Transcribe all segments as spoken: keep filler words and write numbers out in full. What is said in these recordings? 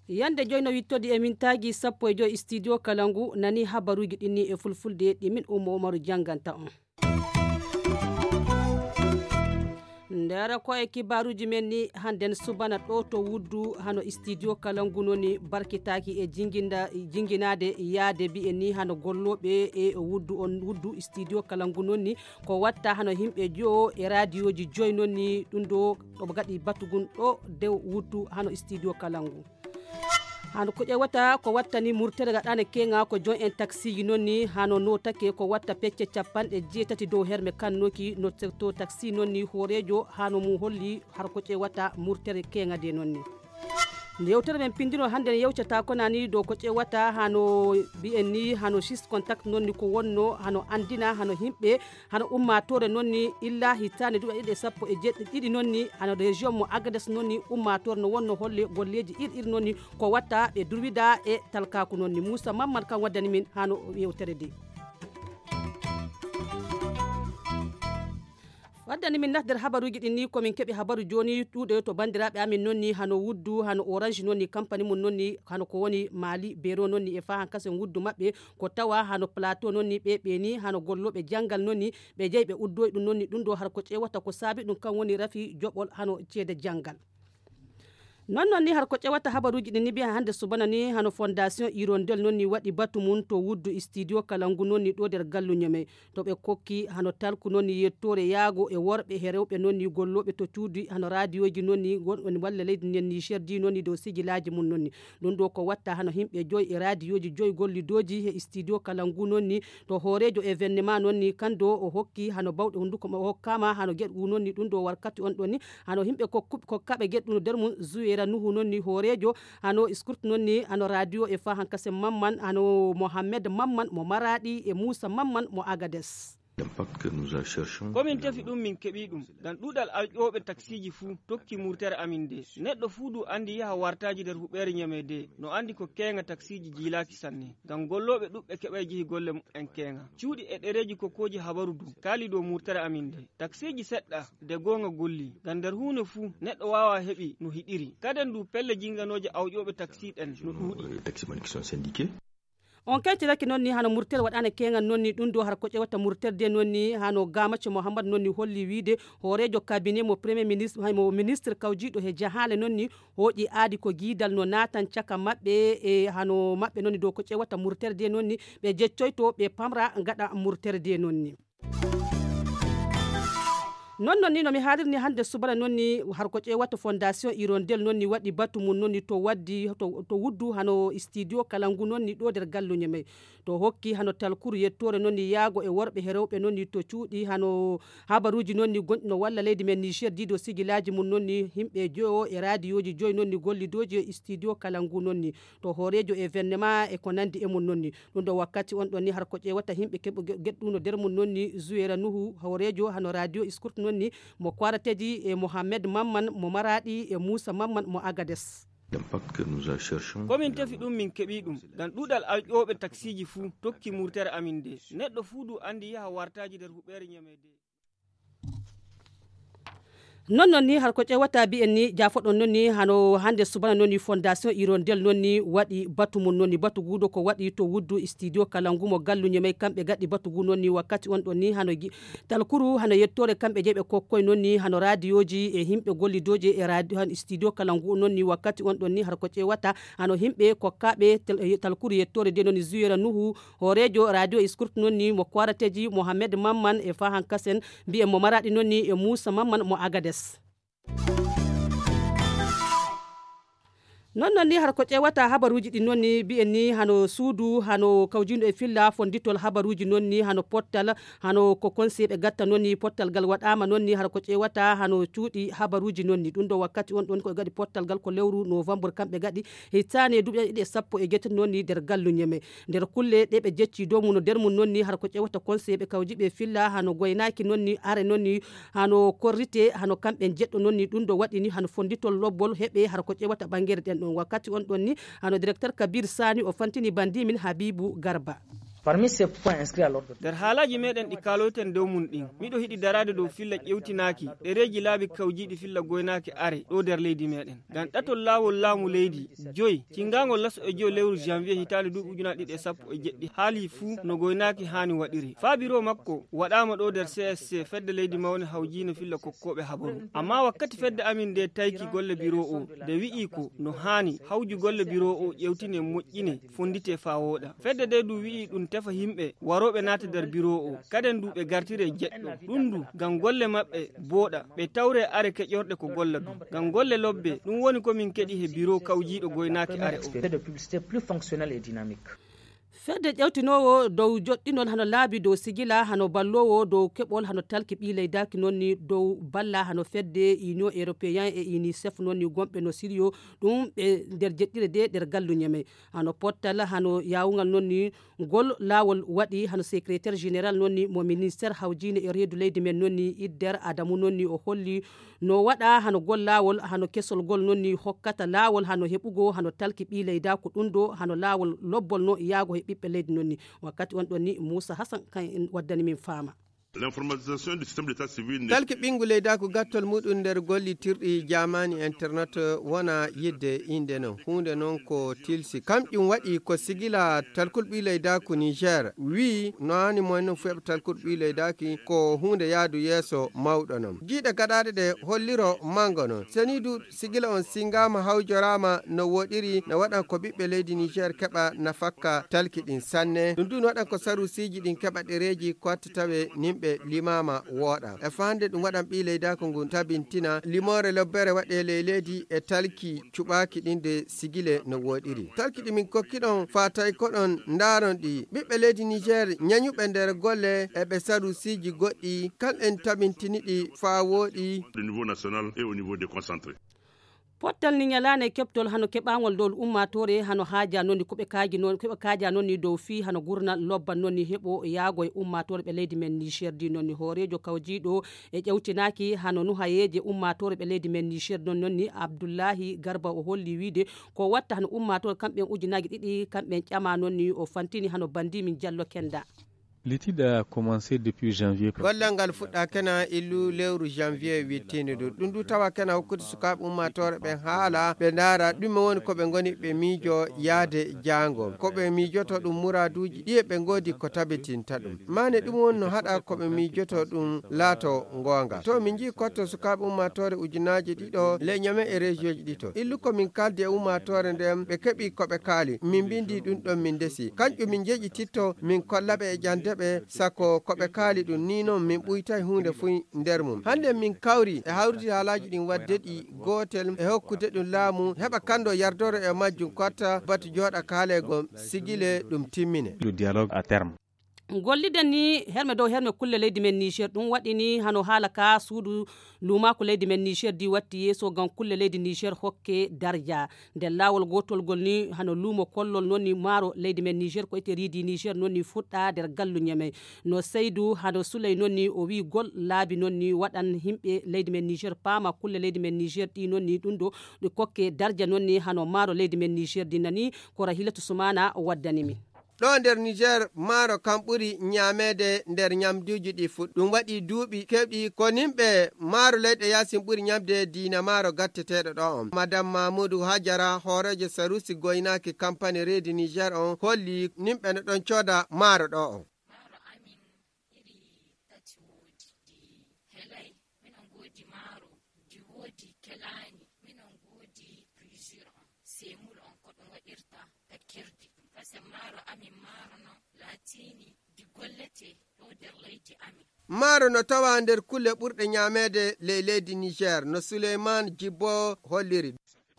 Yande joyi no wittodi e mintaaji sappo e joyi studio kala ngu nani habaruuji ɗin ni e fulfulde ɗi min Umma Umaru jannganta on. Ndera ko e kibaaruuji men ni hannden subana ɗo to wuddu hano studio kala ngu noni barkitaaki e jinginda-, jinginaade yaade mbi'en ni hano gollooɓe e wuddu on wuddu studio kala ngu noni ko watta hano yimɓe jowo e raadiyooji joyi noni ɗum ɗo ɗo gaɗi batugun ɗo dew wuddu hano studio kala ngu. Hano ko ƴewata ko wattani murtere gaɗane keŋa ko jon en taksiji nonni hano notake ko watta pecce capanɗe jeetati dow herme kannoki no to taksi nonni hoorejo hano mum holli har ko ƴewata murtere keŋa de nonni. Nde yewtere men pindino hannde en yewcata ko nani dow ko ƴewata hano mbi'en ni hano six contact nonni ko wonno hano andina hano himɓe hano ummatore nonni illa hitande duɗa ɗiɗi e sappo e jeɗɗi ɗiɗi nonni hano région mo agades nonni ummatore no wonno holle golleji ir ir nonni ko watta ɓe durwida e talkaku nonni moussa mammad kam waddani min hano yewtere de. Waddani min nas nder habaruji ɗin ni komin keɓi habaru joni ɗuɗe to bandiraɓe amin nonni hano wuddu hano orange nonni campani mum nonni hano ko woni mali bero nonni e fahan kasen wuddu maɓɓe ko tawa hano plateau nonni ɓe ɓe ni hano golloɓe janngal nonni ɓe jeyi ɓe uddoyi ɗum nonni ɗum ɗo har ko ƴewata ko saabi ɗum kan woni rafi joɓol hano ceede janngal. Non non ni har ko ƴewata habaruji ɗin ni mbiya hannde subana ni hano fondation hirondel non ni waɗi batu mum to wuddu studio kala ngu non ni ɗo nder galluño men to ɓe kokki hano talku non ni yettore yaago e worɓe he rewɓe non ni gollooɓe to cuuɗi hano raadiyoji non ni gonɗon walla leydi nden ni sherdi non ni dow sigilaji mum non ni. Ɗum ɗo ko watta hano yimɓe joyi e raadiyoji joyi gollidoji he studio kala ngu non ni to hoorejo événement non ni kando o hokki hano bawɗe hunduko mo o hokkama hano geɗ gu non ni ɗum ɗo warkati on ɗon ni hano yimɓe kokkuɓe kokkaɓe geɗ ɗum no nder mum zuwera nuhu non ni hoorejo hano scourt non ni hano radio e fa hankase mamman hano mohammed mamman mo maraɗi e moussa mamman mo agades. Komin tefi ɗum min keɓi ɗum ngam ɗuɗal alƴooɓe taksiji fuu tokki murtere amin nde neɗɗo fuu du andi yaha wartaji nder huɓeere ñame de no andi ko keeŋa taksiji jiilaaki sanne ngam gollooɓe ɗuɓɓe keɓay jehi golle mumen keeŋa cuuɗi e ɗereeji kokkooji habaru du kaali dow murtere amin nde taksiji seɗɗa de gooŋa golli ngam nder huune fuu neɗɗo waawa heɓi no hiɗiri kaden du pelle jinganooje awƴooɓe taksi ɗen no ɗuuɗi. On kaytiraki noon ni hano murtere waɗaane keeŋan noon ni ɗum ɗo har ko ƴewata murtere de noon ni hano gamacco mouhammad noon ni holli wiide hooreejo cabinet mo premier ministre hay mo ministre kawjiiɗo he jahaale noon ni hooƴi aadi ko giidal no naatan caka maɓɓe e hano maɓɓe noon ni dow ko ƴewata murtere de noon ni ɓe jeccoyto ɓe pamra gaɗa murtere de noon ni. Non non ni no mi haalirni hannde subana non ni har ko ƴewata fondation hirondel non ni waɗi batu mum non ni to waddi to wuddu hano studio kala ngu non ni ɗo nder galluñe men to hokki hano talkuru yettore non ni yaago e worɓe he rewɓe non ni to cuuɗi hano habaruji non ni gonɗi no walla leydi men niger dido sigilaji mum non ni yimɓe joyo e radiyoji joyi non ni gollidoji e studio kala ngu non ni to hoorejo événement e ko nandi e mum non ni. Ɗum ɗo wakkati on ɗon ni har ko ƴewata yimɓe keɓo geɗɗuno nder mum non ni zuwera nuhu hoorejo hano radio scourt non ni mo kwarateji e mohammed mamman mo maraɗi e moussa mamman mo agades. Komin tefi ɗum min keɓi ɗum ngam ɗuɗal alƴooɓe taksiji fuu tokki murtere amin nde neɗɗo fuu du andi yaha wartaji nder huɓeere ñamede. Non non ni har ko ƴewata mbiyen ni jafoɗon non ni hano hannde subana non ni fondation hirondel non ni waɗi batu mum non ni batu guudo ko waɗi to wuddu studio kala ngu mo galluñe may kamɓe gaɗi batu gu non ni wakkati on ɗon ni hano talkuru hano yettore kamɓe jeeɓe kokkoy non ni hano radiyoji e yimɓe gollidoji e radio han studio kala ngu non ni wakkati on ɗon ni har ko ƴewata hano yimɓe kokkaɓe talkuru yettore de non ni zuwera nuhu hoorejo radio scourt non ni mo kwarateji mohammed mamman e fahan kasen mbiyen mo maraɗi non ni e moussa mamman mo agades. Non non ni har ko ƴewata habaruji ɗi non ni mbiyen ni hano suudu hano kawjindo e filla fonditol habaruji non ni hano pottal hano ko konseɓe gatta non ni pottal gal waɗama non ni har ko ƴewata hano cuuɗi habaruji non ni ɗum ɗo wakkati on ɗon ko gaɗi pottal gal ko lewru novembre kamɓe gaɗi hittane duuɓi ɗiɗi e sappo e jeetati non ni nder galluñe men nder kulle ɗe ɓe jecci dow mum no nder mum non ni har ko ƴewata conseil ɓe kawji ɓe filla hano goynaaki non ni are non ni hano korrite hano kamɓe jeɗɗo non ni ɗum ɗo waɗi ni hano fonditol lobbol heɓe har ko ƴewata ɓangere ɗen ɗon. Wakkati on ɗon ni, hano directeur Kabir Sani o fantini bandi min Habibu Garba. Nder haalaaji meɗen ɗi kaaloyten dow mum ɗin, miɗo hiɗi daraade dow filla ƴewtinaaki ɗereeji laabi kawjiiɗi filla goynaaki are ɗo nder leydi meɗen. Ngam ɗatol laawol laamu leydi joy, cingaangol laso e joy lewru janvier hitaande duuɓi ujunaaji ɗiɗi e sappo e jeɗɗi, haalii fuu no goynaaki haani waɗiri. Faa biro makko waɗaama ɗo nder C S C, fedde leydi mawne hawjiino filla kokkooɓe habaru. Ammaa wakkati fedde amin nde tayki golle biro o, nde wi'i ko no haani hawju golle biro o ƴewtine, moƴƴine, fonndite faa wooɗa. Fedde nde du wi'i ɗum tefa yimɓe warooɓe naata nder biro o. Kaden du ɓe gartire jeɗɗo. Ɗum du ngam golle maɓɓe booɗa, ɓe tawre are keƴorɗe ko golla du. Ngam golle lobbe, ɗum woni ko min keɗi he biro kawjiiɗo goynaaki are o. Fedde ƴewtinoowo dow joɗɗinol hano laabi dow sigila, hano balloowo dow keɓol, hano talki ɓii leydaaki noon ni dow balla, hano fedde Union Européen e UNICEF noon ni gomɓe no siriyo ɗum ɓe nder jeɗɗire de nder gallu ñeme. Hano pottal, hano yaawungal noon ni ngol laawol waɗi, hano secrétaire général noon ni mo ministère hawjiine e reedu leydi men noon ni Idder Adamu noon ni o holli no waɗa hano gol laawol, hano kesol gol noon ni hokkata laawol, hano heɓugo, hano talki ɓii leydaako ɗum ɗo, hano laawol lobbol no yaago he ɓiɓɓe leydi noon ni. Wakkati on ɗon ni Moussa Hassan kan en waddani min faama. Talki ɓinngu leydaaku gattol muɗum nder gollitirɗi jaamaani internet wona yidde innde non. Huunde non ko tilsi. Kamƴum waɗi ko sigila talkul ɓii leydaaku Niger. Wii no haani mo en non fueɓa talkul ɓii leydaaki ko huunde yaadu yeeso mawɗo non. Jiiɗe gaɗaaɗe ɗe holliro mango non. Seniidu sigila on singaama hawjoraama no woɗiri, no waɗan ko ɓiɓɓe leydi Niger keɓa nafakka talki ɗin sanne. Ɗum du no waɗan ko sarusiiji ɗin keɓa ɗereeji ko watta tawe nimɓe limaama wooɗa. E faa hannde ɗum waɗan ɓii leydaaku ngun tabintina limoore lobbere waɗe ley leydi e talki cuɓaaki ɗin de sigile no woɗiri. Talki ɗi min kokki ɗon faa tawi ko ɗon ndaaron ɗi. Ɓiɓɓe leydi Niger ñañuɓe nder golle e ɓe sarusiiji goɗɗi kal en tabintini ɗi faa wooɗi. Au niveau national et au niveau déconcentré. Pottal ni ñalaande keɓtol hano keɓaangol dow ummaatoore hano haaja noon ni ko ɓe kaaji noon, ko ɓe kaaja noon ni dow fii hano gurna lobban noon ni heɓo yaago e ummaatoore ɓe leydi men Niger di noon ni hooreejo kawjiiɗo e ƴewtinaaki hano nuhayeeje ummaatoore ɓe leydi men Niger noon noon ni Abdullahi Garba o holli wiide ko watta hano ummaatoore kamɓe ujunaaji ɗiɗi kamɓe ƴama noon ni o fantini hano bandi min Jallo Kenda. L'étude a commencé depuis janvier. Gollal ngal fuɗɗaakena illu lewru janvier wittiinde ndu. Ɗum du tawa kena hokkude sukaaɓe ummaatoore ɓen haala, ɓe ndaara ɗume woni ko ɓe ngoni ɓe miijo yaade jaango. Ko ɓe miijoto ɗum muraaduuji ɗiye ɓe ngoodi ko tabitinta ɗum. Maane ɗum woni no haɗa ko ɓe miijoto ɗum laato ngoonga. To min njii kotto sukaaɓe ummaatoore ujunaaji ɗiɗo, leñame e région ji ɗito. Illu ko min kaaldi e ummaatoore nden, ɓe keɓi ko ɓe kaali. Min mbindi ɗum ɗon min ndesi. Kanƴum min njeƴititto, min kolla ɓe e ƴande ɓe, sako ko ɓe kaali ɗum ni non min ɓuytay huunde fuy nder mum. Hannde min kawri e hawrude haalaaji ɗin wadde ɗi gootel e hokkude ɗum laamu, heɓa kanndo yardoro e majjum kotta batu jooɗa kaaleego sigile ɗum timmine. Le dialogue à terme. Golliden ni herme dow herme kulle leydi men Niger, ɗum waɗi ni hano haala ka suudu luumaaku leydi men Niger di watti yeeso ngam kulle leydi Niger hokke darja. Nder laawol gootol ngol ni hano luumo kollol noon ni maaro leydi men Niger ko ete riidi Niger noon ni fuɗɗa nder gallu Ñamey. No Seydu hano Suley noon ni o wii gol laabi noon ni waɗan yimɓe leydi men Niger paama kulle leydi men Niger ɗi noon ni ɗum ɗo ɗi kokke darja noon ni hano maaro leydi men Niger di nani ko Rahilatu Sumana waddani min. Ɗo nder Niger, maaro kam ɓuri ñaameede nder ñamduuji ɗi fuɗ. Ɗum waɗi duuɓi keewɗi ko nimɓe maaro leyɗe yaasin ɓuri ñamde diina maaro gatteteeɗo ɗo on. Madame Mamoudou Hajara, hooreejo sarusi goynaaki kampani reedi Niger on, holli nimɓe no ɗon cooda maaro ɗo on. Maaro amin iri tati woodi, ɗi helay, minon ngoodi maaro, ndi woodi kelaani, minon ngoodi plusieurs on, seemul on ko ɗum waɗirta takkirdi. Ɗum kasen maaro amin maaro non laatiini ndi golletee ɗo nder leydi amin. Maaro no tawaa nder kulle ɓurɗe ñaameede ley leydi Niger, no Suleyman Jibbo holliri.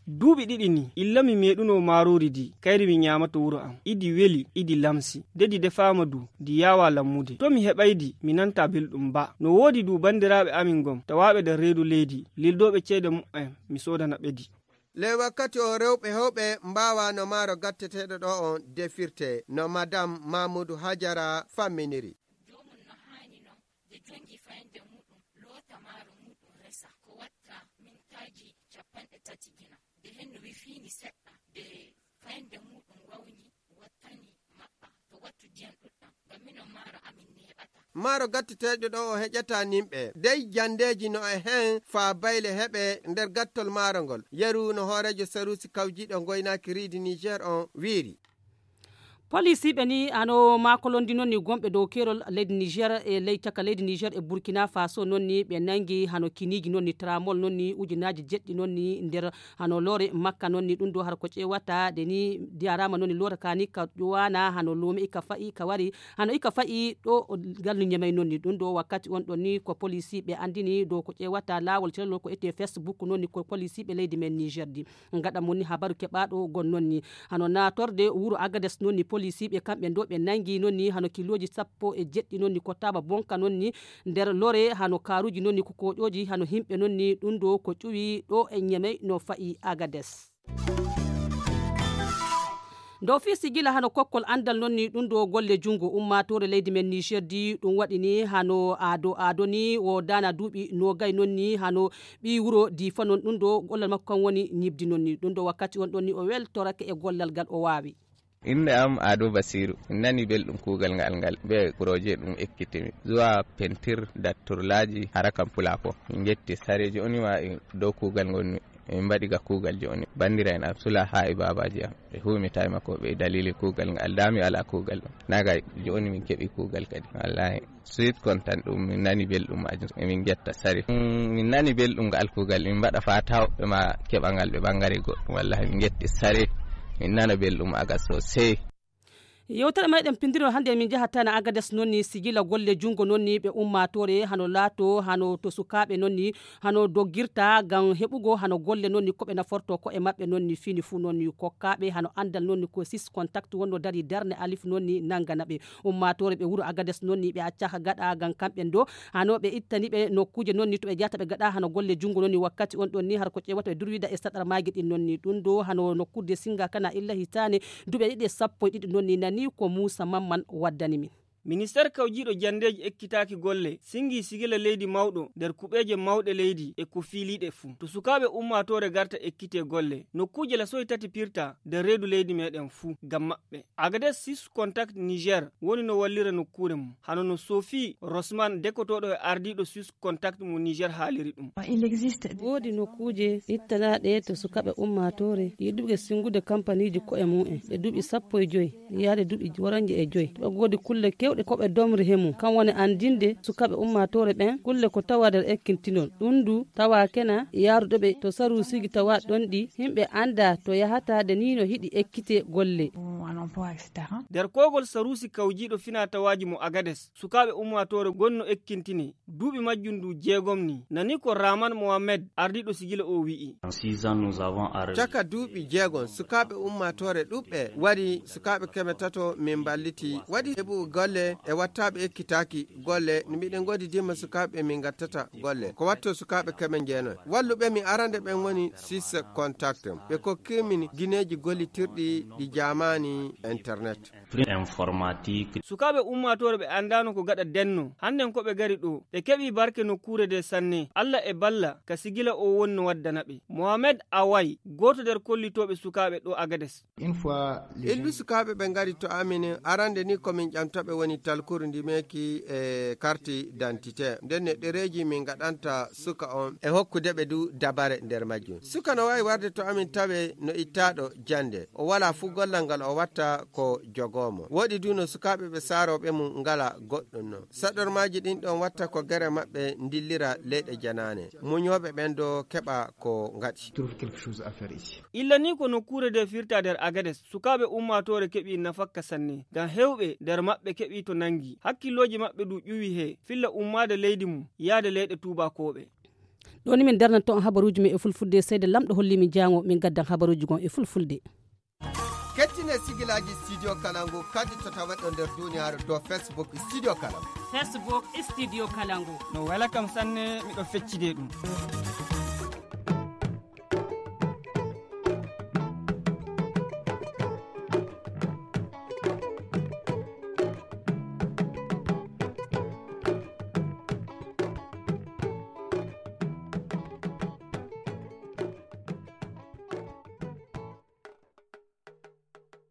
Duuɓi ɗiɗi ni, illa mi meeɗuno maaroori ndi, kayri mi ñaamato wuro am. Idi weli, idi lamsi. Nde ndi defaama du, ndi yaawaa lammude. To mi heɓay ndi, mi nantaa belɗum ba. No woodi du banndiraaɓe amin gom, tawaaɓe nder reedu leydi, lildooɓe ceede muɓɓen, mi soodana ɓe ndi. Ley wakkati o rewɓe heewɓe mbaawaa no maaro gatteteeɗo ɗo on defirtee, no Madame Mamoudou Hajara famminiri. Joomum no haani non, nde jonngi fayande muuɗum, loota maaro muuɗum resa. Ko watta mintaaji cappanɗe tati gina. Nde hendu wifiindi seɗɗa, ɓe fayde muɗum wawni wattani maɓɓa to wattu diyan ɗuɗɗam ngam minon maaro amin neeɓata. Maaro gatteteeɗo ɗo o heƴata nimɓe dey jandeeji no e heen faa bayle heɓe nder gattol maaro ngol. Yeru no hooreejo saruusi kawjiiɗo ngoynaaki riidi niger on wiiri. Polisiiɓe ni hano maakolondi noon ni gonɓe dow keerol leydi niger e ley caka leydi niger e burkina faso noon ni ɓe nangi hano kiniiji noon ni tramol noon ni ujunaaji jeɗɗi noon ni nder hano loore makka noon ni ɗum ɗo hara ko ƴeewata de ni diyarama noon ni loore ka ni ka ƴowana hano luume ika fa'i ka wari hano ika fa'i ɗo gallu ñemey noon ni ɗum ɗo wakkati on ɗon ni ko polisiiɓe anndini dow ko ƴeewata laawol celol ko etee facebook noon ni ko polisiiɓe leydi men niger di. Ngaɗa moni habaru keɓaaɗo gon noon ni hano naatorde wuro agades noon ni polisiiɓe kamɓe ndo ɓe nangi noon ni hano kilooji sappo e jeɗɗi noon ni ko taaba bonka noon ni nder lore hano kaaruuji noon ni ko koƴooji hano himɓe noon ni ɗum ɗo ko ƴuwi ɗo e ñemey no fa'i agades. Ndo fii sigila hano kokkol anndal noon ni ɗum ɗo golle junngo ummaatoore leydi men niger di ɗum waɗi ni hano aado aado ni wo daana duuɓi noogay noon ni hano ɓii wuro diifa noon ɗum ɗo gollal makko kan woni ñibdi noon ni ɗum ɗo wakkati on ɗon ni o weltorake e gollal ngal o waawi. Innde am Aado Basiiru, mi nani belɗum kuugal ngal ngal ɓe projet ɗum ekkitimi zuwa pentir datturlaaji hara kam pulaapo. Min ngetti sareeji oni ma e dow kuugal ngonmi. Min mbaɗi ga kuugal jooni banndiraaɓe am sula haa e baabaaji am ɓe huumita e makko ɓe dalili kuugal ngal daami alaa kuugal ɗum naga jooni min keɓi kuugal kadi wallahi. Suit kontan ɗum min nani belɗum majum emin ngetta sari. Min nani belɗum ngal kuugal min mbaɗa faa tawɓe ma keɓa ngal ɓe ɓangare goɗɗum wallahi min ngetti sari. Min nana belɗum aga sosai. Yewtere meɗen pindirol hannde min njahata na agades noon ni sigila golle junngo noon ni ɓe ummaatoore hano laato hano to sukaaɓe noon ni hano doggirta ngam heɓugo hano golle noon ni ko ɓe naforto ko e maɓɓe noon ni fini fuu noon ni kokkaaɓe hano anndal noon ni ko sis contact wonno dari darne alif noon ni nanngana ɓe. Ummaatoore ɓe wuro agades noon ni ɓe accaka gaɗa ngam kamɓe ndo hano ɓe ittani ɓe nokkuuje noon ni to ɓe jahata ɓe gaɗa hano golle junngo noon ni wakkati on ɗon ni har ko ƴeewata ɓe durwida e saɗar maaji ɗin noon ni ɗum ɗo hano nokkuuje singa kana illa hitaane duuɓi ɗiɗi e sappo e ɗiɗi noon ni nani ko muusa mamman waddani min. Ministeer kawjiiɗo janndeeji ekkitaaki golle singi sigila leydi mawɗo nder kuɓeeje mawɗe leydi e ko fiiliiɗe fuu to sukaaɓe ummaatoore garta ekkitee golle nokkuuje lasoy tati pirta nder reedu leydi meeɗen fuu ngam maɓɓe. Agades sis contact niger woni no wallira nokkuure mum hano no sofi rosman dekotooɗo e ardiiɗo sis contact mo niger haaliri ɗum. Woodi nokkuuje ittanaaɗe to sukaaɓe ummaatoore yiɗuɓe singude kampaniiji ko'e mum en ɓe duuɓi sappo e joyi yaade duuɓi woranje e joyi to ɓe goodi kulle kewɗe ko ɓe domri he mum kam woni anndinde sukaaɓe ummaatoore ɓen kulle ko tawa nder ekkintinol ɗum du tawa kena yaaruɗo ɓe to saruusiiji tawa ɗon ɗi yimɓe annda to yahata de ni no hiɗi ekkite golle. Nder koogol saruusi kawjiiɗo finaa tawaaji mo agades sukaaɓe ummaatoore gonno ekkintini duuɓi majjum du jeegom ni nani ko rahman mohammed ardiiɗo sigila o wi'i. Caka duuɓi jeegom sukaaɓe ummaatoore ɗuɓɓe wari sukaaɓe keme tato min mballiti waɗi heɓu golle e wattaaɓe ekkitaaki golle no miɗen ngoodi dimma sukaaɓe min ngattata golle ko watto sukaaɓe keme njeenoy walluɓe mi arande ɓen woni six contact ɓe kokkimin gineeji gollitirɗi ɗi jaamaani internet. Sukaaɓe ummaatoore ɓe anndaano ko gaɗa denno hannden ko ɓe gari ɗo ɓe keɓi barke nokkuure de sanne allah e balla ka sigila o wonno waddana ɓe mohamed away gooto nder kollitooɓe sukaaɓe ɗo agades. Illu sukaaɓe ɓe ngari to amin arande ni ko min ƴamtaɓe woni talkuru ndi meeki e karti dantite nden ne ɗereeji min ngaɗanta suka on e hokkude ɓe du dabare nder majjum suka no wawi warde to amin tawe no ittaɗo jande o wala fu gollal ngal o watta ko jogomo woɗi du no sukaaɓe ɓe saroɓe mum ngala goɗɗum non saɗormaji ɗin ɗon watta ko gere maɓɓe ndillira leyɗe janane muñoɓe ɓen do keɓa ko ngaɗi. Illa ni ko nokkuure nde firta nder agades sukaaɓe ummaatoore keɓi nafakka sanne ngam hewɓe nder maɓɓe keɓi to nangi hakkillooji maɓɓe du ƴuwi he filla ummaade leydi mum yaade leyɗe tuubakooɓe. Ɗo ni min darnanto on habaruuji men e fulfulde seede lamɗo holli min jaango min gaddan habaruuji gon e fulfulde. Kettine sigilaaji studio kalangu kadi to taweɗo nder duniyaaru dow facebook studio kalangu. Facebook studio kalangu. No wela kam sanne miɗo feccide ɗum.